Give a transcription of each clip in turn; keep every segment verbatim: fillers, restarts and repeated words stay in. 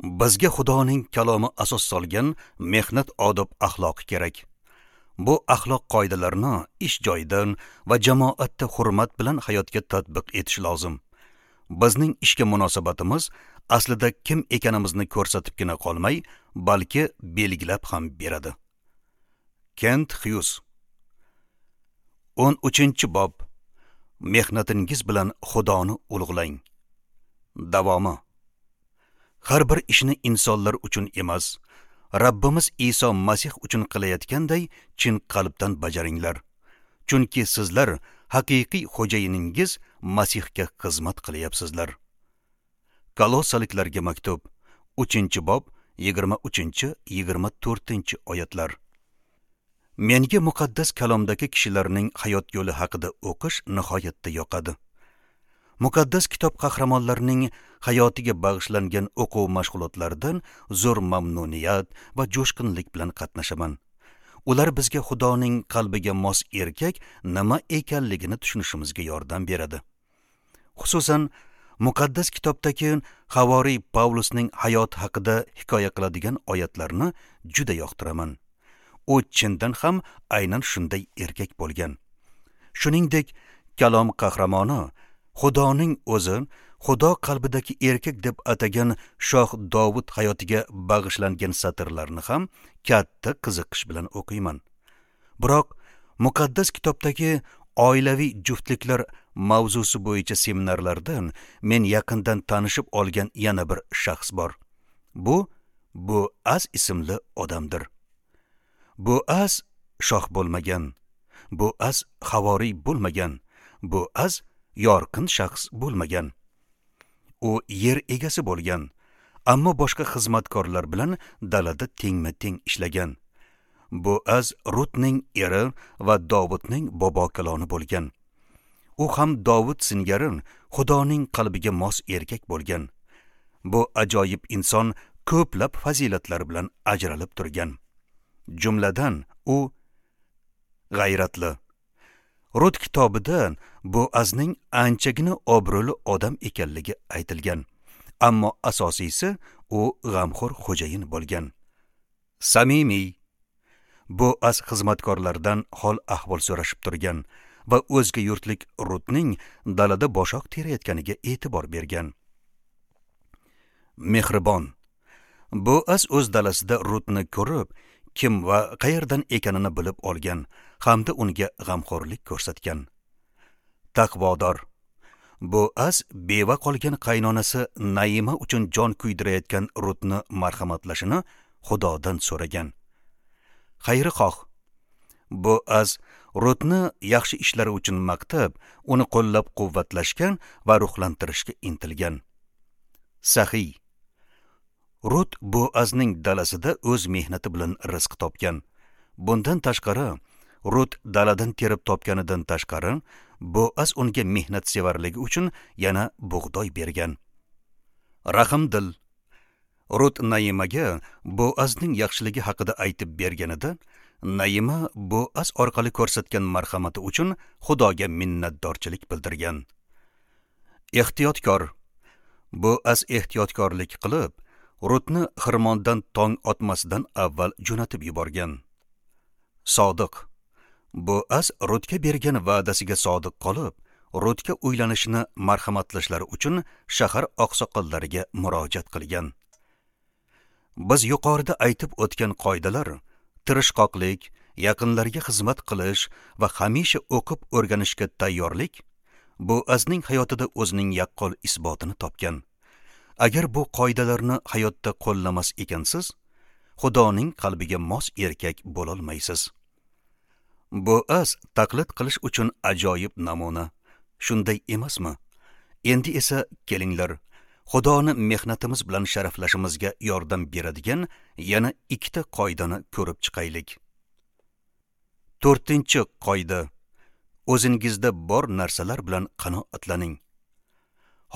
Bizga Xudoning kalomi asos solgan mehnat odob axloqi kerak. Bu axloq qoidalarini ish joyidan va jamoatda hurmat bilan hayotga tatbiq etish lozim. Bizning ishga munosabatimiz aslida kim ekanimizni ko'rsatibgina qolmay, balki belgilab ham beradi. Kent Xyuz. o'n uchinchi bob. Mehnatingiz bilan Xudoni ulug'lang. Davomi. Har bir ishni insonlar uchun emas, Rabbimiz Iso Masih uchun qilayotganday chin qalbdan bajaringlar. Chunki sizlar haqiqiy xo'jayiningiz Masihga xizmat qilyapsizlar. Kolossaliklarga maktub, uchinchi bob, yigirma uchinchi yigirma to'rtinchi oyatlar. Menga muqaddas kalomdagi kishilarning hayot yo'li haqida o'qish nihoyatda yoqadi. Muqaddas kitob qahramonlarining hayotiga bag'ishlangan o'quv mashg'ulotlaridan zo'r mamnuniyat va jo'shqinlik bilan qatnashaman. Ular bizga Xudoning qalbiga mos erkak nima ekanligini tushunishimizga yordam beradi. Xususan, muqaddas kitobdagi Havoriy Pavlusning hayoti haqida hikoya qiladigan oyatlarni juda yoqtiraman. U chindan ham aynan shunday erkak bo'lgan. Shuningdek, kalom qahramoni Xudoning o'zi Xudo qalbidagi erkak deb atagan Shoh Dovud hayotiga bag'ishlangan satrlarni ham katta qiziqish bilan o'qiyman. Biroq muqaddas kitobdagi oilaviy juftliklar mavzusi bo'yicha seminarlardan men yaqindan tanishib olgan yana bir shaxs bor. Bu Boaz ismli odamdir. Boaz shoh bo'lmagan, Boaz havoriy bo'lmagan, Boaz yorqin shaxs bo'lmagan. U yer egasi bo'lgan, ammo boshqa xizmatkorlar bilan dalada tengma-teng ishlagan. Boaz Rutning eri va Dovudning bobokaloni bo'lgan. U ham Dovud singari Xudoning qalbiga mos erkak bo'lgan. Bu ajoyib inson ko'plab fazilatlar bilan ajralib turgan. Jumladan, u g'ayratli. Rut kitobida Boazning anchagina obro'li odam ekanligi aytilgan. Ammo asosiysi u g'amxo'r xo'jayin bo'lgan. Samimiy. Boaz xizmatkorlardan hol ahvol so'rashib turgan va o'zga yurtlik Rutning dalada boshoq terayotganiga e'tibor bergan. Mehribon. Boaz o'z dalasida Rutni ko'rib, kim va qayerdan ekanini bilib olgan hamda unga g'amxo'rlik ko'rsatgan. Taqvodor. Boaz beva qolgan qaynonasi Naima uchun jon kuydirayotgan Rutni marhamatlashini Xudodan so'ragan. Xayrixoh. Boaz Rutni yaxshi ishlari uchun maqtab, uni qo'llab-quvvatlashgan va ruhlantirishga intilgan. Saxiy. Rut Boazning dalasida o'z mehnati bilan rizq topgan. Bundan tashqari, Rut daladan terib topganidan tashqari, Boaz unga mehnatsevarligi uchun yana bug'doy bergan. Rahmdil. Rut Naimaga Boazning yaxshiligi haqida aytib berganida, Naima Boaz orqali ko'rsatgan marhamati uchun Xudoga minnatdorchilik bildirgan. Ehtiyotkor. Boaz ehtiyotkorlik qilib, Rutni xirmondan tong otmasidan avval jo'natib yuborgan. Sodiq. Boaz Rutga bergan va'dasiga sodiq qolib, Rutga uylanishini marhamatlashlari uchun shahar oqsoqollariga murojaat qilgan. Biz yuqorida aytib o'tgan qoidalar tirishqoqlik, yaqinlarga xizmat qilish va hamisha o'qib o'rganishga tayyorlik Boazning hayotida o'zining yaqqol isbotini topgan. Agar bu qoidalarni hayotda qo'llamas ekansiz, Xudoning qalbiga mos erkak bo'lolmaysiz. Boaz taqlid qilish uchun ajoyib namuna. Shunday emasmi? Endi esa kelinglar, Xudoni mehnatimiz bilan sharaflashimizga yordam beradigan yana ikkita qoidani ko'rib chiqaylik. To'rtinchi qoida: o'zingizda bor narsalar bilan qanoatlaning.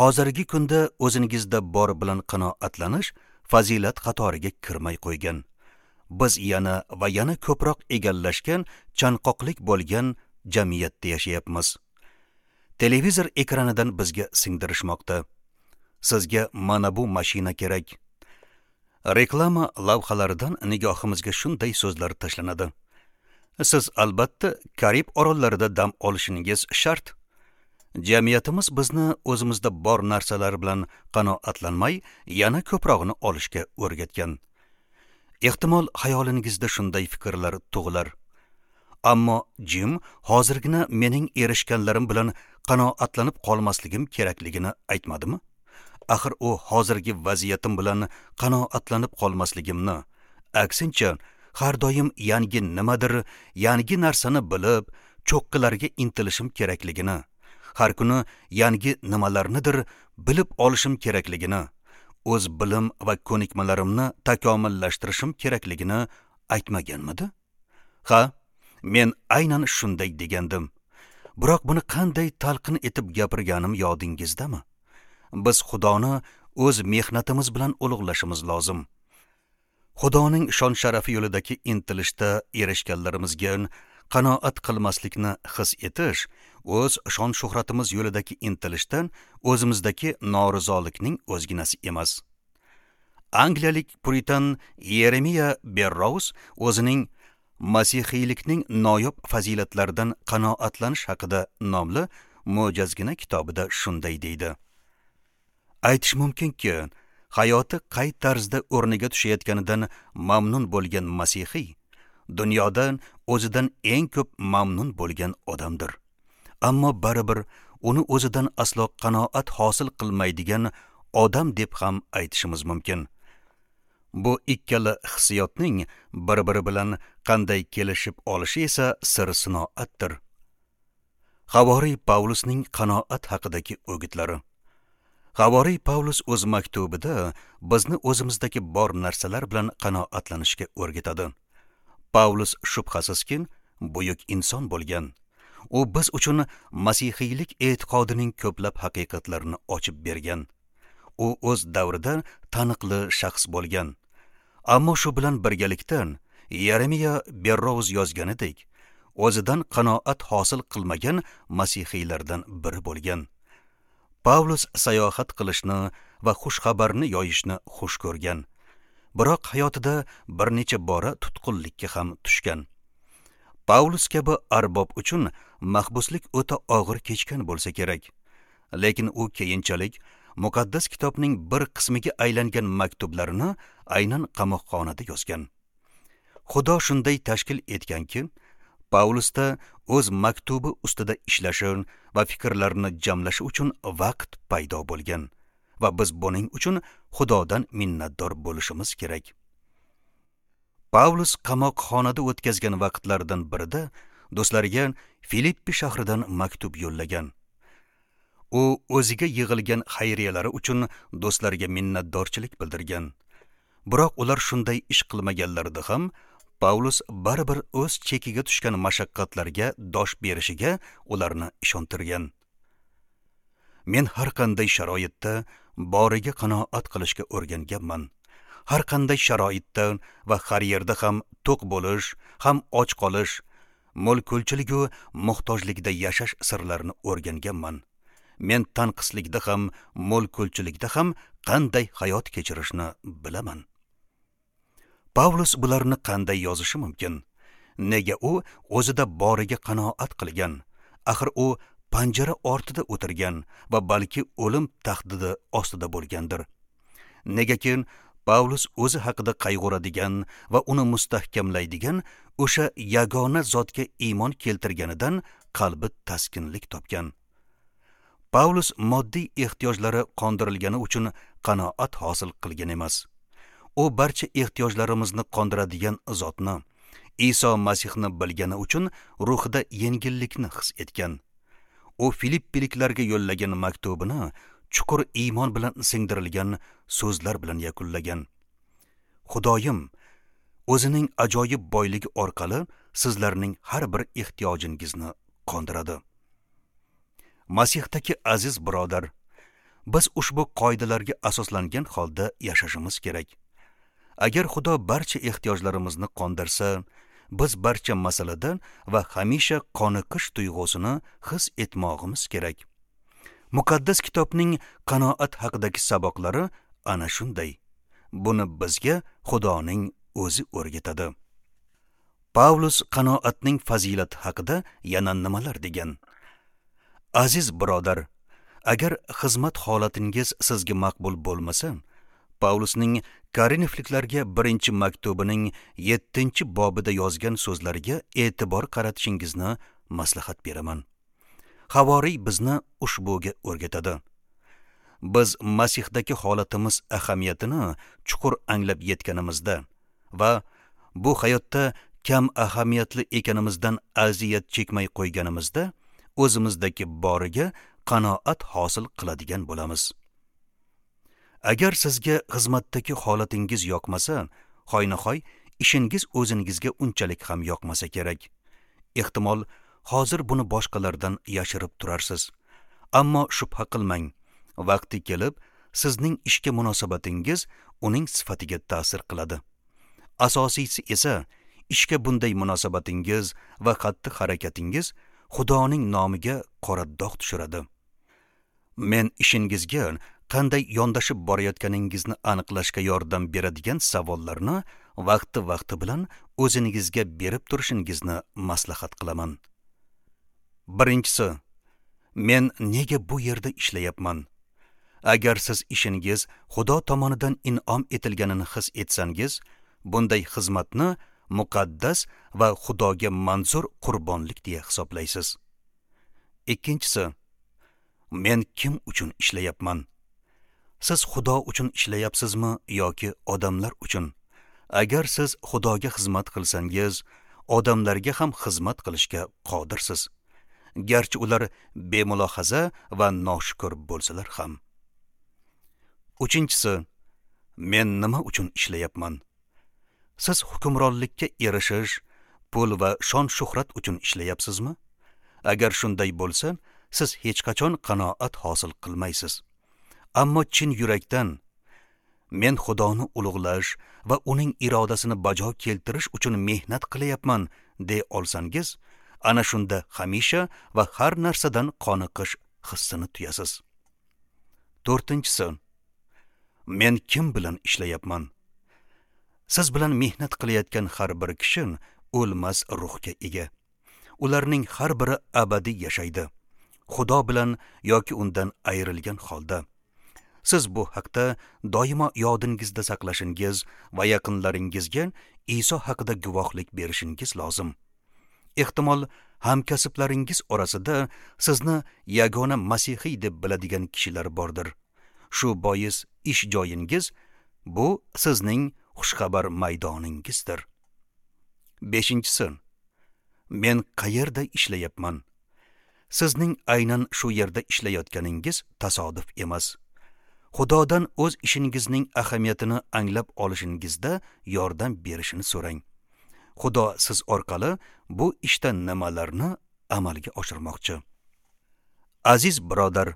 Hozirgi kunda o'zingizda bor bilan qanoatlanish fazilat qatoriga kirmay qo'ygan. Biz yana va yana ko'proq egallashgan, chanqoqlik bo'lgan jamiyatda yashayapmiz. Televizor ekranidan bizga singdirishmoqda. Sizga mana bu mashina kerak. Reklama lavhalaridan nigohimizga shunday so'zlar tashlanadi. Siz albatta Karib orollarida dam olishingiz shart. Jamiyatimiz bizni o'zimizda bor narsalar bilan qanoatlanmay, yana ko'prog'ini olishga o'rgatgan. Ehtimol xayolingizda shunday fikrlar tug'ilar. Ammo Jim hozirgina mening erishganlarim bilan qanoatlanib qolmasligim kerakligini aytmadimi? Axir u hozirgi vaziyatim bilan qanoatlanib qolmasligimni, aksincha har doim yangi nimadir, yangi narsani bilib, cho'qqilarga intilishim kerakligini, har kuni yangi nimalarnidir bilib olishim kerakligini, o'z bilim va ko'nikmalarimni takomillashtirishim kerakligini aytmaganmidi? Ha, men aynan shunday degandim. Biroq buni qanday talqin etib gapirganim yodingizdami? Biz Xudoni o'z mehnatimiz bilan ulug'lashimiz lozim. Xudoning shon-sharafi yo'lidagi intilishda erishganlarimizga qanoat qilmaslikni his etish, o'z shon-shuhratimiz yo'lidagi intilishdan o'zimizdagi norizolikning o'zginasi emas. Angliyalik puritan Yeremiya Berrows o'zining Masihiylikning noyob fazilatlaridan qanoatlanish haqida nomli mo'jazgina kitobida shunday deydi. Aytish mumkinki, hayoti qay tarzda o'rniga tushayotganidan mamnun bo'lgan masihiy dunyodan o'zidan eng ko'p mamnun bo'lgan odamdir. Ammo baribir uni o'zidan aslo qanoat hosil qilmaydigan odam deb ham aytishimiz mumkin. Bu ikkala hissiyotning bir-biri bilan qanday kelishib olishi esa sir sinoatdir. Havoriy Pavlusning qanoat haqidagi o'gitlari. Havoriy Pavlus o'z maktubida bizni o'zimizdagi bor narsalar bilan qanoatlanishga o'rgatadi. Pavlus shubhasizki buyuk inson bo'lgan. U biz uchun masihiylik e'tiqodining ko'plab haqiqatlarini ochib bergan. U o'z davrida taniqli shaxs bo'lgan. Ammo shu bilan birgalikda Yeremiya Berrows yozganidek, o'zidan qanoat hosil qilmagan masihiylardan biri bo'lgan. Pavlus sayohat qilishni va xush xabarni yoyishni xush ko'rgan. Biroq hayotida bir necha bora tutqunlikka ham tushgan. Pavlus kabi arbob uchun mahbuslik o'ta og'ir kechgan bo'lsa kerak. Lekin u keyinchalik muqaddas kitobning bir qismiga aylangan maktublarini aynan qamoqxonada yozgan. Xudo shunday tashkil etganki, Pavlusda o'z maktubi ustida ishlashi va fikrlarini jamlashi uchun vaqt paydo bo'lgan va biz buning uchun Xudodan minnatdor bo'lishimiz kerak. Pavlus qamoqxonada o'tkazgan vaqtlaridan birida do'stlariga Filippi shahridan maktub yo'llagan. U o'ziga yig'ilgan xayriyalari uchun do'stlariga minnatdorchilik bildirgan. Biroq ular shunday ish qilmaganlarida ham Pavlus baribir o'z chekiga tushgan mashaqqatlarga dosh berishiga ularni ishontirgan. Men har qanday sharoitda boriga qanoat qilishga o'rganganman. Har qanday sharoitda va har yerda ham to'q bo'lish, ham och qolish, mo'l-ko'lchilik va muhtojlikda yashash sirlarini o'rganganman. Men tanqislikda ham, mo'l-ko'lchilikda ham qanday hayot kechirishni bilaman. Pavlus bularni qanday yozishi mumkin? Nega u o'zida boriga qanoat qilgan? Axir u panjara ortida o'tirgan va balki o'lim tahdidi ostida bo'lgandir. Negaki Pavlus o'zi haqida qayg'uradigan va uni mustahkamlaydigan o'sha yagona zotga iymon keltirganidan qalbi taskinlik topgan. Pavlus moddiy ehtiyojlari qondirilgani uchun qanoat hosil qilgan emas. U barcha ehtiyojlarimizni qondiradigan zotni, Iso Masihni bilgani uchun ruhida yengillikni his etgan. U Filippiliklarga yo'llagan maktubini chuqur iymon bilan singdirilgan so'zlar bilan yakunlagan. Xudoyim o'zining ajoyib boyligi orqali sizlarning har bir ehtiyojingizni qondiradi. Masihdagi aziz birodar, biz ushbu qoidalarga asoslangan holda yashashimiz kerak. Agar Xudo barcha ehtiyojlarimizni qondirsa, biz barcha masalada va hamisha qoniqish tuyg'usini his etmog'imiz kerak. Muqaddas kitobning qanoat haqidagi saboqlari ana shunday. Buni bizga Xudoning o'zi o'rgatadi. Pavlus qanoatning fazilati haqida yana nimalar degan? Aziz birodar, agar xizmat holatingiz sizga maqbul bo'lmasa, Pavlusning Korinfliklarga birinchi maktubining yettinchi bobida yozgan so'zlariga e'tibor qaratishingizni maslahat beraman. Havoriy bizni ushbuga o'rgatadi. Biz Masihdagi holatimiz ahamiyatini chuqur anglab yetganimizda va bu hayotda kam ahamiyatli ekanimizdan aziyat chekmay qo'yganimizda o'zimizdagi boriga qanoat hosil qiladigan bo'lamiz. Agar sizga xizmatdagi holatingiz yoqmasa, hoynahoy ishingiz o'zingizga unchalik ham yoqmasa kerak. Ehtimol hozir buni boshqalardan yashirib turarsiz. Ammo shubha qilmang, vaqti kelib sizning ishga munosabatingiz uning sifatiga ta'sir qiladi. Asosiysi esa ishga bunday munosabatingiz va xatti-harakatingiz Xudoning nomiga qora dog' tushiradi. Men ishingizga qanday yondashib borayotganingizni aniqlashga yordam beradigan savollarni vaqti-vaqti bilan o'zingizga berib turishingizni maslahat qilaman. Birinchisi, men nega bu yerda ishlayapman? Agar siz ishingiz Xudo tomonidan in'om etilganini his etsangiz, bunday xizmatni muqaddas va Xudoga manzur qurbonlik deya hisoblaysiz. Ikkinchisi, men kim uchun ishlayapman? Siz Xudo uchun ishlayapsizmi yoki odamlar uchun? Agar siz Xudoga xizmat qilsangiz, odamlarga ham xizmat qilishga qodirsiz. Garchi ular bemulohaza va noshukur bo'lsalar ham. Uchinchisi, men nima uchun ishlayapman? Siz hukmronlikka erishish, pul va shon-shuhrat uchun ishlayapsizmi? Agar shunday bo'lsa, siz hech qachon qanoat hosil qilmaysiz. Ammo chin yurakdan men Xudoni ulug'lash va uning irodasini bajo keltirish uchun mehnat qilyapman deya olsangiz, ana shunda hamisha va har narsadan qoniqish hissini tuyasiz. To'rtinchisi, men kim bilan ishlayapman? Siz bilan mehnat qilayotgan har bir kishi o'lmas ruhga ega. Ularning har biri abadiy yashaydi, Xudo bilan yoki undan ayrilgan holda. Siz bu haqda doimo yodingizda saqlashingiz va yaqinlaringizga Iso haqida guvohlik berishingiz lozim. Ehtimol hamkasblaringiz orasida sizni yagona masihiy deb biladigan kishilar bordir. Shu bois ish joyingiz bu sizning xushxabar maydoningizdir. Beshinchisi, men qayerda ishlayapman? Sizning aynan shu yerda ishlayotganingiz tasodif emas. Xudodan o'z ishingizning ahamiyatini anglab olishingizda yordam berishini so'rang. Xudo siz orqali bu ishda nimalarni amalga oshirmoqchi? Aziz birodar,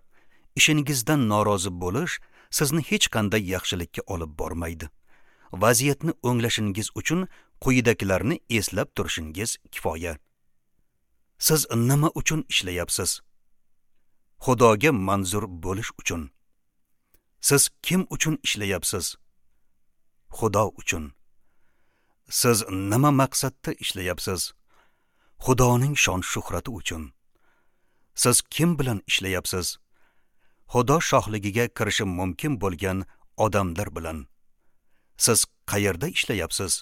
ishingizdan norozi bo'lish sizni hech qanday yaxshilikka olib bormaydi. Vaziyatni o'nglashingiz uchun quyidagilarni eslab turishingiz kifoya. Siz nima uchun ishlayapsiz? Xudoga manzur bo'lish uchun. Siz kim uchun ishlayapsiz? Xudo uchun. Siz nima maqsadda ishlayapsiz? Xudoning shon-shuhrati uchun. Siz kim bilan ishlayapsiz? Xudo shohligiga kirishi mumkin bo'lgan odamlar bilan. Siz qayerda ishlayapsiz?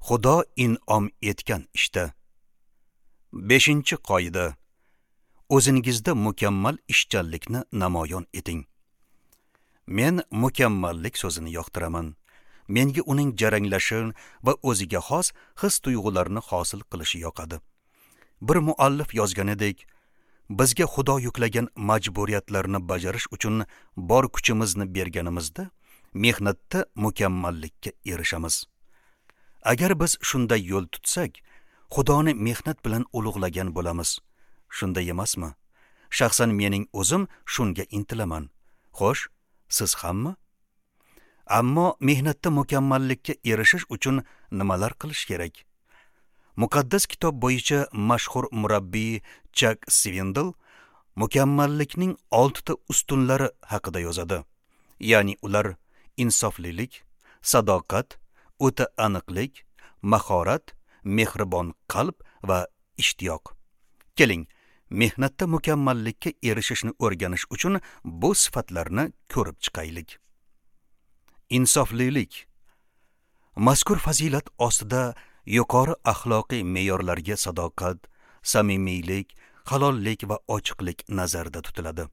Xudo in'om etgan ishda. Beshinchi qoida. O'zingizda mukammal ishchanlikni namoyon eting. Men mukammallik so'zini yoqtiraman. Menga uning jaranglashi va o'ziga xos his-tuyg'ularni hosil qilishi yoqadi. Bir muallif yozganidek, bizga Xudo yuklagan majburiyatlarni bajarish uchun bor kuchimizni berganimizda, mehnatda mukammallikka erishamiz. Agar biz shunday yo'l tutsak, Xudoni mehnat bilan ulug'lagan bo'lamiz. Shunday emasmi? Shaxsan mening o'zim shunga intilaman. Xo'sh, siz hammi? Ammo mehnatda mukammallikka erishish uchun nimalar qilish kerak? Muqaddas kitob bo'yicha mashhur murabbiy Chak Svindl mukammallikning oltita ustunlari haqida yozadi. Ya'ni ular insoflilik, Sadoqat, o'ta aniqlik, mahorat, mehribon qalb va ishtiyoq. Keling, mehnatda mukammallikka erishishni o'rganish uchun bu sifatlarni ko'rib chiqaylik. Insoflilik. Mazkur fazilat ostida yuqori axloqiy me'yorlarga sadoqat, samimiylik, halollik va ochiqlik nazarda tutiladi.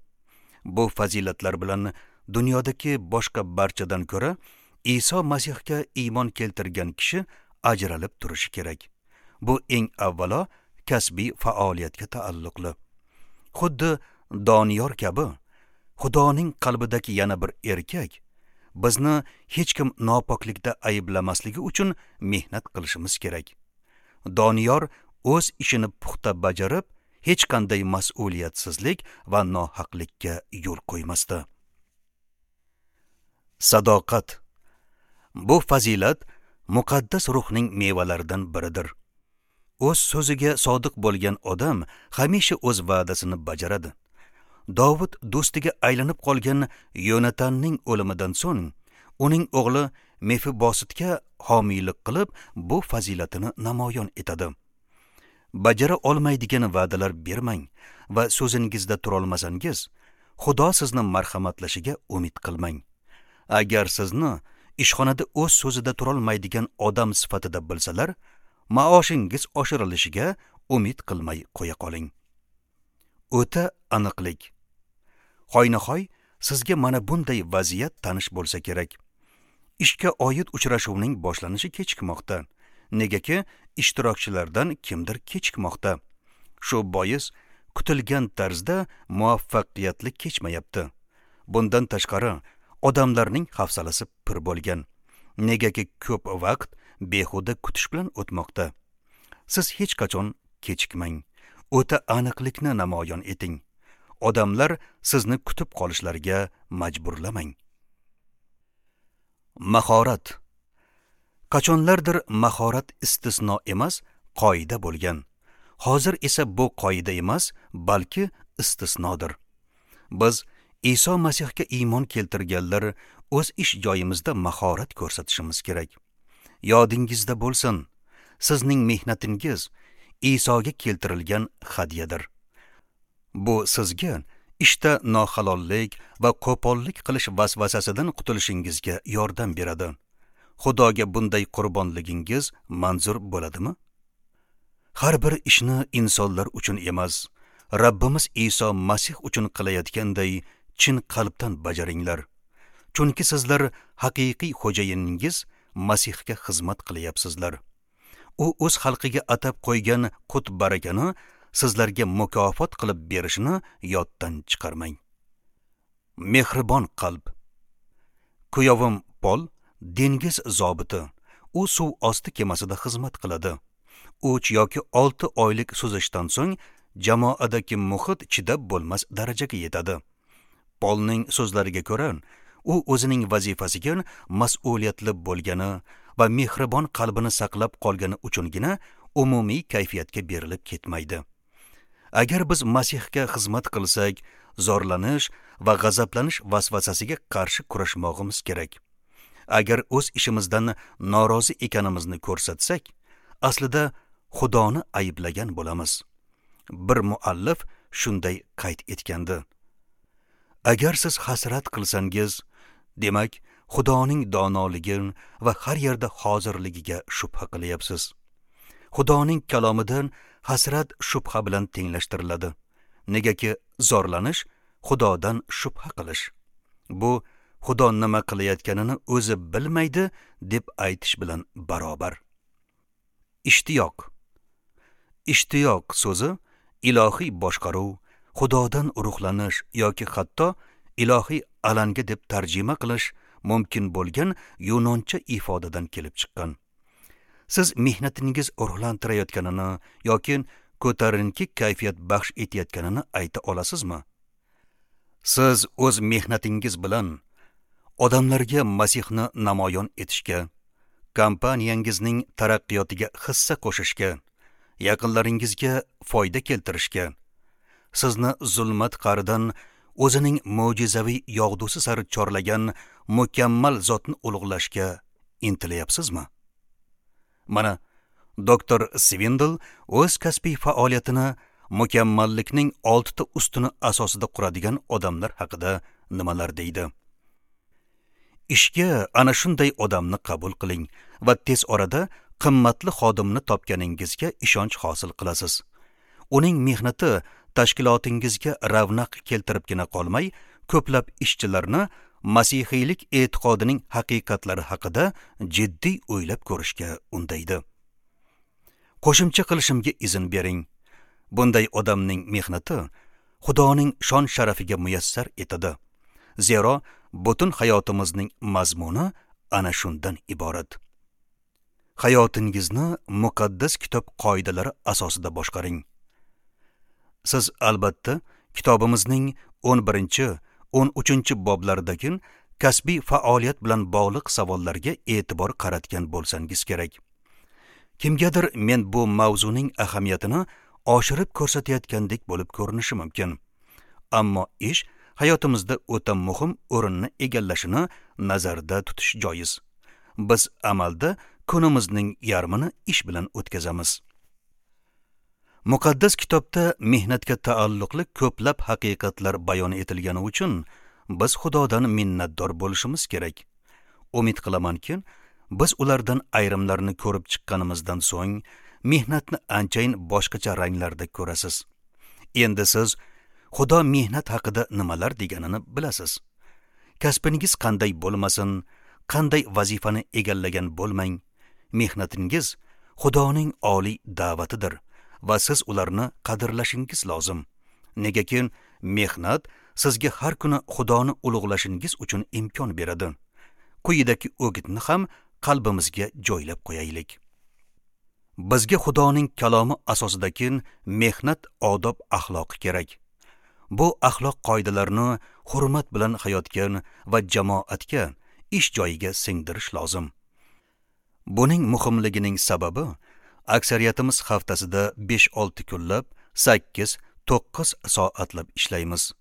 Bu fazilatlar bilan dunyodagi boshqa barchadan ko'ra Iso Masihga iymon keltirgan kishi ajralib turishi kerak. Bu eng avvalo kasbiy faoliyatga taalluqli. Xuddi Doniyor kabi Xudoning qalbidagi yana bir erkak bizni hech kim nopoklikda ayblamasligi uchun mehnat qilishimiz kerak. Doniyor o'z ishini puxta bajarib, hech qanday mas'uliyatsizlik va nohaqlikka yo'l qo'ymasdi. Sadoqat. Bu fazilat muqaddas ruhning mevalaridan biridir. O'z so'ziga sodiq bo'lgan odam hamisha o'z va'dasini bajaradi. Dovud do'stiga aylanib qolgan Yonatanning o'limidan so'ng uning o'g'li Mefibositga homiylik qilib, bu fazilatini namoyon etadi. Bajara olmaydigan va'dalar bermang va so'zingizda turolmasangiz, Xudo sizni marhamatlashiga umid qilmang. Agar sizni ishxonada o'z so'zida turolmaydigan odam sifatida bilsalar, maoshingiz oshirilishiga umid qilmay qo'ya qoling. O'ta aniqlik. Hoynahoy sizga mana bunday vaziyat tanish bo'lsa kerak. Ishga oid uchrashuvning boshlanishi kechikmoqda. Negaki ishtirokchilardan kimdir kechikmoqda. Shu bois kutilgan tarzda muvaffaqiyatli kechmayapti. Bundan tashqari odamlarning hafsalasi pir bo'lgan. Negaki ko'p vaqt behuda kutish bilan o'tmoqda. Siz hech qachon kechikmang. O'ta aniqlikni namoyon eting. Odamlar sizni kutib qolishlariga majburlamang. Mahorat. Qachonlardir mahorat istisno emas, qoida bo'lgan. Hozir esa bu qoida emas, balki istisnodir. Biz Iso Masihga iymon keltirganlar o'z ish joyimizda mahorat ko'rsatishimiz kerak. Yodingizda bo'lsin, sizning mehnatingiz Isoga keltirilgan hadyadir. Bu sizga ishda nohalollik va qo'pollik qilish vasvasasidan qutulishingizga yordam beradi. Xudoga bunday qurbonligingiz manzur bo'ladimi? Har bir ishni insonlar uchun emas, Rabbimiz Iso Masih uchun qilayotganday chin qalbdan bajaringlar. Chunki sizlar haqiqiy xo'jayiningiz Masihga xizmat qilyapsizlar. U o'z xalqiga atab qo'ygan qut barakani sizlarga mukofot qilib berishini yoddan chiqarmang. Mehribon qalb. Kuyovim Pol dengiz zobiti. U suv osti kemasida xizmat qiladi. Uch yoki olti oylik suzishdan so'ng jamoadagi muhit chidab bo'lmas darajaga yetadi. Polning so'zlariga ko'ra, u o'zining vazifasiga mas'uliyatli bo'lgani va mehribon qalbini saqlab qolgani uchungina umumiy kayfiyatga berilib ketmaydi. Agar biz Masihga xizmat qilsak, zorlanish va g'azablanish vasvasasiga qarshi kurashmoqimiz kerak. Agar o'z ishimizdan norozi ekanimizni ko'rsatsak, aslida Xudoni ayblagan bo'lamiz. Bir muallif shunday qayd etgandi: Agar siz hasrat qilsangiz, demak, Xudoning donoligi va har yerda hozirligiga shubha qilyapsiz. Xudoning kalomidan hasrat shubha bilan tenglashtiriladi. Negaki zorlanish Xudodan shubha qilish. Bu Xudo nima qilayotganini o'zi bilmaydi deb aytish bilan barobar. Ishtiyoq. Ishtiyoq so'zi ilohiy boshqaruv, Xudodan ruhlanish yoki hatto ilohiy alanga deb tarjima qilish mumkin bo'lgan yunoncha ifodadan kelib chiqqan. Siz mehnatingiz ruhlantirayotganini yoki ko'tarinki kayfiyat baxsh etayotganini ayta olasizmi? Siz o'z mehnatingiz bilan odamlarga Masihni namoyon etishga, kompaniyangizning taraqqiyotiga hissa qo'shishga, yaqinlaringizga foyda keltirishga, sizni zulmat qaridan o'zining mo'jizaviy yog'dusi sari chorlagan mukammal zotni ulug'lashga intilayapsizmi? Mana doktor Svindl o'z kasbiy faoliyatini mukammallikning oltita ustuni asosida quradigan odamlar haqida nimalar deydi? Ishga ana shunday odamni qabul qiling va tez orada qimmatli xodimni topganingizga ishonch hosil qilasiz. Uning mehnati tashkilotingizga ravnaq keltiribgina qolmay, ko'plab ishchilarni masihiylik e'tiqodining haqiqatlari haqida jiddiy o'ylab ko'rishga undaydi. Qo'shimcha qilishimga izn bering. Bunday odamning mehnati Xudoning shon sharafiga muyassar etadi. Zero butun hayotimizning mazmuni ana shundan iborat. Hayotingizni muqaddas kitob qoidalari asosida boshqaring. Siz albatta kitobimizning o'n birinchi, o'n uchinchi boblaridagi kasbiy faoliyat bilan bog'liq savollarga e'tibor qaratgan bo'lsangiz kerak. Kimgadir men bu mavzuning ahamiyatini oshirib ko'rsatayotgandek bo'lib ko'rinishi mumkin. Ammo ish hayotimizda o'ta muhim o'rinni egallashini nazarda tutish joiz. Biz amalda kunimizning yarmini ish bilan o'tkazamiz. Muqaddas kitobda mehnatga taalluqli ko'plab haqiqatlar bayon etilgani uchun biz Xudodan minnatdor bo'lishimiz kerak. Umid qilamanki, biz ulardan ayrimlarini ko'rib chiqqanimizdan so'ng mehnatni anchayin boshqacha ranglarda ko'rasiz. Endi siz Xudo mehnat haqida nimalar deganini bilasiz. Kasbingiz qanday bo'lmasin, qanday vazifani egallagan bo'lmang, mehnatingiz Xudoning oliy da'vatidir va siz ularni qadrlashingiz lozim. Negaki mehnat sizga har kuni Xudoni ulug'lashingiz uchun imkon beradi. Quyidagi o'gitni ham qalbimizga joylab qo'yaylik. Bizga Xudoning kalomi asosidagi mehnat odob axloqi kerak. Bu axloq qoidalarini hurmat bilan hayotga va jamoatga, ish joyiga singdirish lozim. Buning muhimligining sababi aksariyatimiz haftasida besh olti kunlab, sakkiz to'qqiz soatlab ishlaymiz.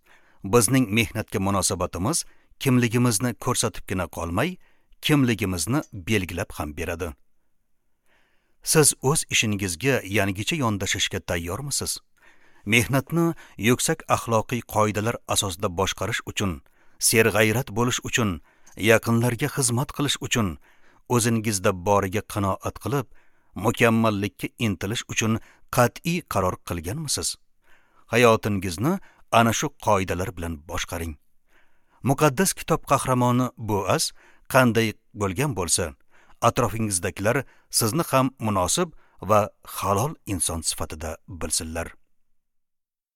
Bizning mehnatga munosabatimiz kimligimizni ko'rsatibgina qolmay, kimligimizni belgilab ham beradi. Siz o'z ishingizga yangicha yondashishga tayyormisiz? Mehnatni yuksak axloqiy qoidalar asosida boshqarish uchun, serg'ayrat bo'lish uchun, yaqinlarga xizmat qilish uchun, o'zingizda boriga qanoat qilib, mukammallikka intilish uchun qat'iy qaror qilganmisiz? Hayotingizni ana shu qoidalar bilan boshqaring. Muqaddas kitob qahramoni Boaz qanday bo'lgan bo'lsa, atrofingizdagilar sizni ham munosib va halol inson sifatida bilsinlar.